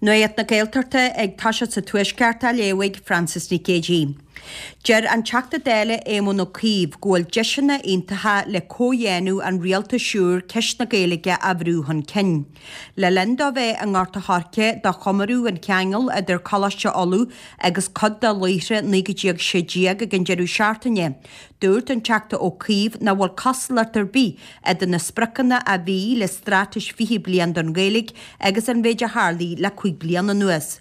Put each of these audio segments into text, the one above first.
Nuacht na Gaeltachta ag toiseacht sa Tuaisceart á léamh ag Frances Nic Géadaigh. Deir an Teachta Dála Éamon Ó Cuív go bhfuil deiseanna iontacha le comhdhéanamh an rialtais úir ceist na Gaeilge a bhrú chun cinn. Le linn dó bheith i nGort a' Choirce do chomóradh an cheangail idir Coláiste Uladh agus cuid de laochra 1916 ag an deireadh seachtaine, Dúirt an Teachta Ó Cuív nach bhfuil cosúlacht ar bith idir na spriocanna a bhí le Straitéis 20 Bliain don Ghaeilge agus an mhéid a tharlaigh le 5 bliana anuas.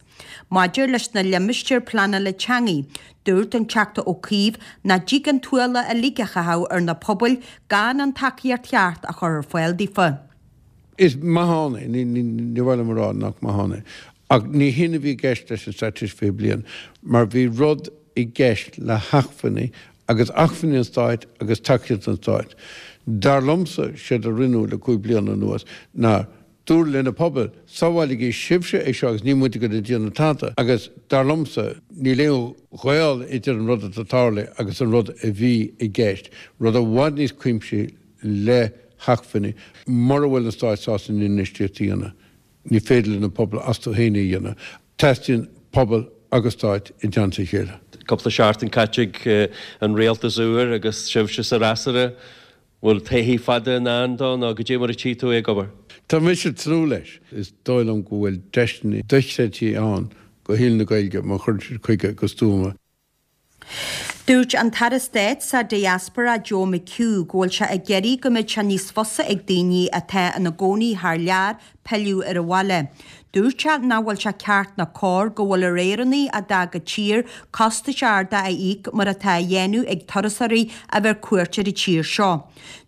Maidir leis na limistéir pleanála teanga, dúirt an Teachta Ó Cuív nach dtig an t-ualach uilig a chaitheamh ar na pobail gan an tacaíocht cheart a chur ar fáil daofa. Is maith ann é, ní mhaith liom a rá nach maith ann é, ach ní shin a bhí i gceist leis an Straitéis 20 Bliain, mar bhí rud i gceist le hacmhainní, agus acmhainní an Stáit agus tacaíocht an Stáit. Dar liomsa, séard a rinneadh le 5 bliana anuas ná dúradh le na pobail, sábháiligí sibhse é seo agus níl muid ag dul a déanamh tada. Agus dar liomsa, níl aon ghaol idir an rud atá tarlaithe agus an rud a bhí i gceist, rud i bhfad níos cuimsithí le hacmhainní. Mura bhfuil an Stát sásta an infheistíocht a dhéanamh, ní féidir le na pobail astu féin é a dhéanamh. Teastaíonn pobal agus Stát i dteannta a chéile. Cúpla seachtain caite ag an rialtas úr agus sibhse sa fhreasúra. Bhfuil todhchaí fada i ndán dó nó goidé mar a tchí tú é ag obair? Tá mise ag tnúth leis. Is dóigh liom go bhfuil deiseanna dochreidte ann do shaol na Gaeilge má chuireann siad chuige go stuama. Dúirt an tAire Stáit sa Diaspora Joe McHugh go bhfuil sé ag iarraidh go mbeidh sé níos fusa ag daoine atá ina gcónaí thar lear pilleadh ar an bhaile. Dúirt sé nach bhfuil sé ceart ná cóir go bhfuil ar Éireannaigh a d'fhág an tír costais arda a íoc mar atá á dhéanamh ag turasóirí a bheith ar cuairt ar an tír seo.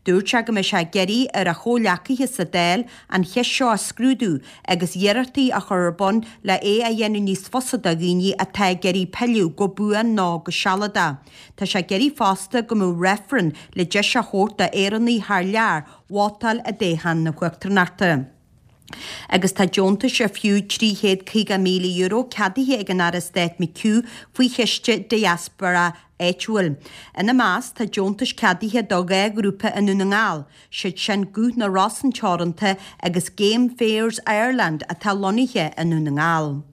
Dúirt sé go mbeidh sé ag iarraidh ar a chomhghleacaithe sa Dáil an cheist seo a scrúdú agus iarrachtaí a chur ar bun le é a dhéanamh níos fusa do dhaoine atá ag iarraidh pilleadh go buan nó go sealadach. Tá sé ag iarraidh fosta go mbeadh reifreann le deis a thabhairt d'Éireannaigh thar lear vótáil i dtoghchán na huachtaránachta. Agus tá deontais ar fiú €350,000 ceadaithe ag an Aire Stáit McHugh faoi chiste Diaspora Áitiúil. Ina measc tá deontais ceadaithe do 2 ghrúpa i nDún na nGall, siad sin Guth na Rosann Teoranta agus Game Fairs Ireland atá lonnaithe i nDún na nGall.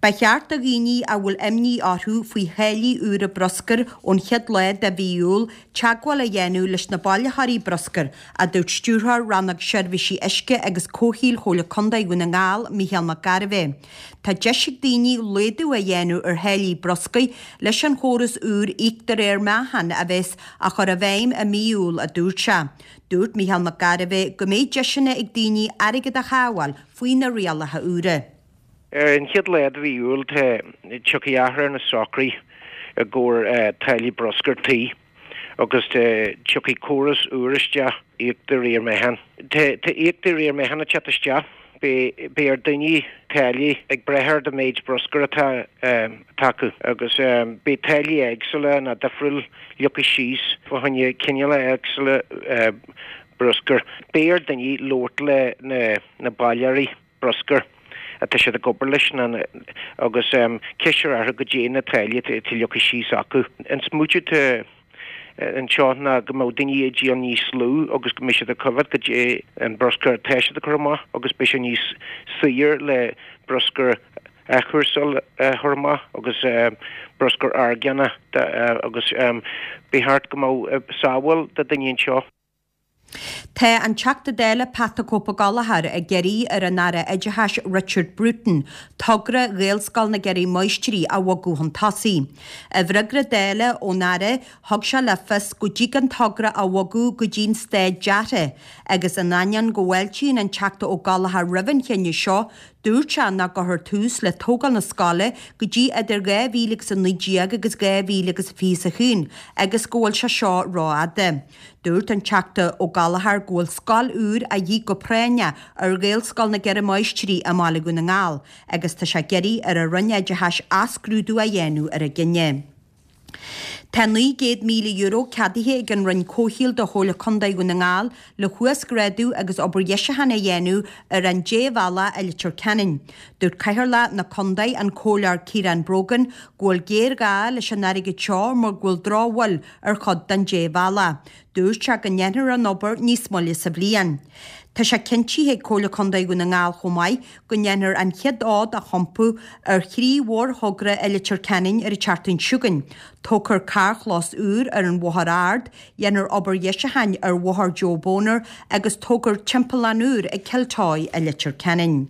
Ba cheart do dhaoine a bhfuil imní orthu faoi tháillí úra bruscair ón chéad lá de mhí Iúil teagmháil a dhéanamh leis na bailitheoirí bruscair, a dúirt Stiúrthóir Rannóg Seirbhísí Uisce agus Comhshaoil Chomhairle Contae Dhún na nGall, Mícheál Mac Gairbheith. Tá deis ag daoine laghdú a dhéanamh ar tháillí bruscair leis an chóras úr íoc de réir meáchain a bheas á chur i bhfeidhm i mí Iúil, a dúirt sé. Dúirt Mícheál Mac Gairbheith go mbeidh deiseanna ag daoine airgead a shábháil faoi na rialacha úra. Ar an chéad lá de mhí Iúil tá tiocfaidh athrú ar na socruithe i gcomhair táillí bruscair tí agus tiocfaidh córas úr isteach, íoc de réir meáchain. Tá íoc de réir meáchain ag teacht isteach. Beidh ar daoine táillí ag brath ar do méid bruscair atá acu agus beidh táillí éagsúla nó difriúil leagtha síos fá choinne cineálacha éagsúla bruscair. Beidh ar daoine labhairt le na bailitheoirí bruscair atá siad ag obair leis agus ceist a chur orthu goidé na táillí atá leagtha síos acu. An smaoitiú atá anseo ná go mbeadh daoine ag díol níos lú agus go mbeidh siad ag coimhéad goidé an bruscar atá siad ag cur amach agus beidh sé níos saoire le bruscar athchúrsála a chur amach agus bruscar orgánach agus ba cheart go mbeadh sábháil do daoine anseo. Tá an Teachta Dála Pat 'The Cope Ó Gallchóir ag iarraidh ar an Aire Oideachais Richard Bruton togra Ghaelscoil na gCeithre Máistrí a bhogadh chun tosaigh. I bhfreagra Dála ón Aire thug sé le fios go dtig an togra a bhogadh go dtí'n staid deartha agus in ainneoin go bhfáiltíonn an Teachta Ó Gallchóir roimh an chinneadh seo dúirt sé nach gcuirfear tús le tógáil na scoile go dtí idir 2019 agus 2021 agus go bhfuil sé seo rófhada. Dúirt an Teachta Ó Gallchóir go bhfuil scoil úr a dhíth go práinneach ar Ghaelscoil na gCeithre Máistrí i mBaile Dhún na nGall agus tá sé ag iarraidh ar an Roinn Oideachais athscrúdú a dhéanamh ar an gcinneadh. Tá €900,000 ceadaithe ag an Roinn Comhshaoil do Chomhairle Contae Dhún na nGall le huasghrádú agus obair dheisiúcháin a dhéanamh ar an débhealach i Leitir Ceanainn. Dúirt Cathaoirleach na Contae, an Comhairleoir Ciarán Brogan, go bhfuil géarghá leis an airgead seo mar go bhfuil drochbhail ar chuid den débhealach. Dúirt sé go ndéanfar an obair níos moille sa bhliain. Tá sé cinntithe ag Comhairle Contae Dhún na nGall chomh maith go ndéanfar an chéad fhód a thiompú ar thrí mhórthogra i Leitir Ceanainn ar an tseachtain seo chugainn. Tógfar carrchlós úr ar an Bhóthar Ard, dhéanfar obair dheisiúcháin ar Bhóthar Joe Boner agus tógfar timpeallán úr ag Cill Toí i Leitir Ceanainn.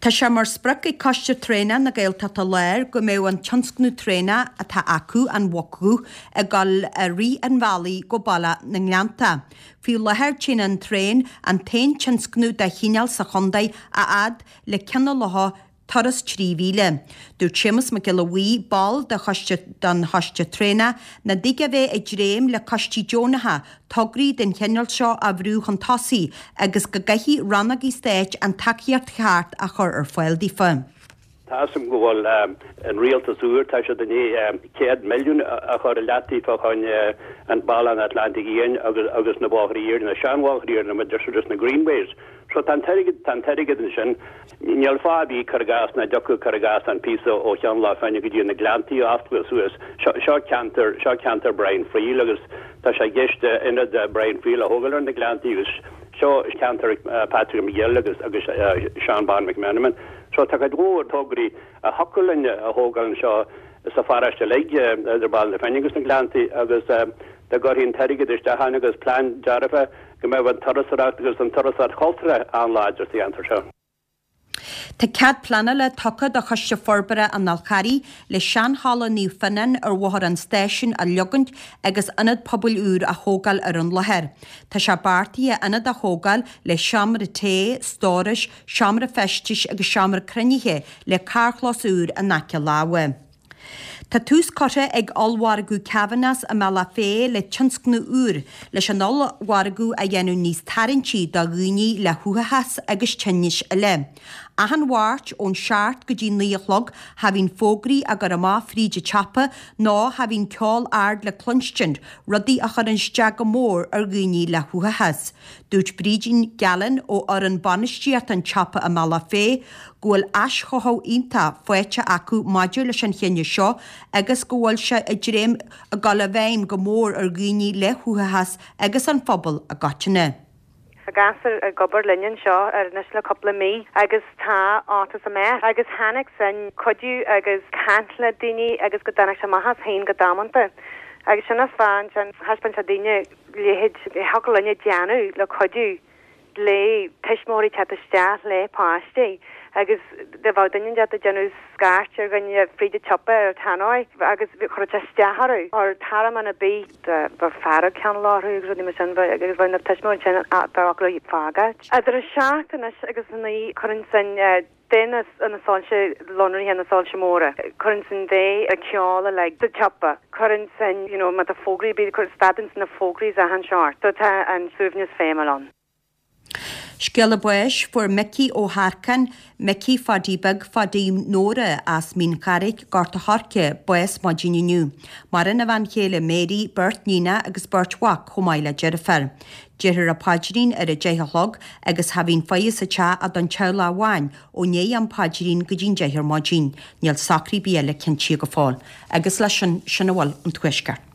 Tá sé mar sprioc ag Coiste Traenach na Gaeltachta Láir go mbeadh an tionscnamh traenach atá acu, an Mhuc Dhubh, ag dul i rith an bhealaigh go Bealach na nGleannta. Faoi láthair téann an traein, an t-aon tionscnamh dá chineál sa chontae, a fhad le Ceann na Locha, turas 3,000. Dúirt Séamus Mac Giolla Bhuí, ball de choiste den choiste traenach, nach dtig a bheith ag dréim le coistí deonacha tograí den chineál seo a bhrú chun tosaigh agus go gcaithfidh rannógaí stáit an tacaíocht cheart a chur ar fáil daofa. Tá 'fhios a'm go bhfuil an rialtas úr, tá siad i ndiaidh 100 milliún a chur i leataobh fá choinne an Bealach an Atlantaigh Fhiáin agus na bóithre iarainn, na seanbhóithre iarainn, na sort of na greenways. So tá an t-airgead, tá an t-airgead ansin. Níl fáth ar bith cur i gcás nach dtiocfadh cur i gcás an píosa ó Cheann Locha Finne go dtí na Gleanntaí a oscailt suas. Seo, seo ceantar, seo ceantar Brian Friel agus tá sé i gceist ionad Brian Friel a thógáil ar na Gleanntaí agus seo ceantar Patrick McGill agus, agus Seán Bán McMenamin. So tá cuid mhór tograí a thiocfadh linn a thógáil anseo sa pharóiste uilig, idir Bealach na Finne agus na Gleanntaí agus dá gcuirfí an t-airgead isteach ann agus plean dearfa go mbeadh an turasóireacht agus an turasóireacht chultúrtha an-láidir sa cheantar seo. Tá cead pleanála tugtha do Choiste Forbartha an Fhál Charraigh le seanhalla Naomh Fionnán ar Bhóthar an Stáisiúin a leogaint agus ionad pobail úr a thógáil ar an láthair. Tá sé beartaithe ionad a thógáil le seomra tae, stórais, seomra feistis agus seomra cruinnithe le carrchlós úr in aice láimhe. Tá tús curtha ag Ollmhargadh Kavanagh's i mBealach Féich le tionscnamh úr leis an ollmhargadh a dhéanamh níos tarraingtí do dhaoine le huathachas agus tinnis eile. Achan Mháirt ón seacht go dtí 9 a chlog cha bhíonn fógraí á gcur amach fríd an tsiopa nó cha bhíonn ceol ard le cluinstin, rudaí a chuireann isteach go mór ar dhaoine le huathachas. Dúirt Brídín Gallen ó fhoireann bainistíochta an tsiopa i mBealach Féich go bhfuil aischothú iontach faighte acu maidir leis an chinneadh seo agus go bhfuil sé ag dréim ag dul i bhfeidhm go mór ar dhaoine le huathachas agus an phobal i gcoitinne. Tá gasúir ag obair linn anseo anois le cúpla mí agus tá iontas amach agus tháinig sin cuidiú agus caint le daoine agus go dtáinig sé amach as féin go damanta agus sin an fáth ansin thaispeáin sé daoine leithéid a thiocfadh linn a déanamh le cuidiú le tuismitheoirí teacht isteach le páistí agus do bheadh duine inteacht ag déanamh scairt ar dhuine fríd an tsiopa ar an tannoy agus chuirfeadh sé isteach orthu ar tormán ar bith bheadh fearg cineál orthu agus rudaí mar sin agus bheadh na tuismitheoirí ansin bheadh acu le fágáil. Idir a seacht anois agus a naoi cuireann sin de na soilse lonraithe, na soilse móra, cuireann sin de an ceol uilig sa tsiopa, cuireann sin, you know, má tá fógraí ar bith, cuireann, stadann sin na fógraí is achan seort. So tá an suaimhneas feidhmiúil ann. Scéala báis, Fuair Micí Ó hEarcáin, Micí Phaidí Beag Phaidí Nóra as Mín Charraig, Gort a' Choirce, bás maidin inniu. Maireann a bhean chéile Mary, beirt níonacha agus beirt mhac chomh maith le deirfiúr. Déarfar an paidrín ar a deich a chlog agus cha bhíonn faire sa teach ach don teaghlach amháin ó ndiaidh an paidrín go dtí'n deich ar maidin. Níl socruithe ar bith eile cinntithe go fóill. Agus leis sin, sin a bhfuil ón Tuaisceart.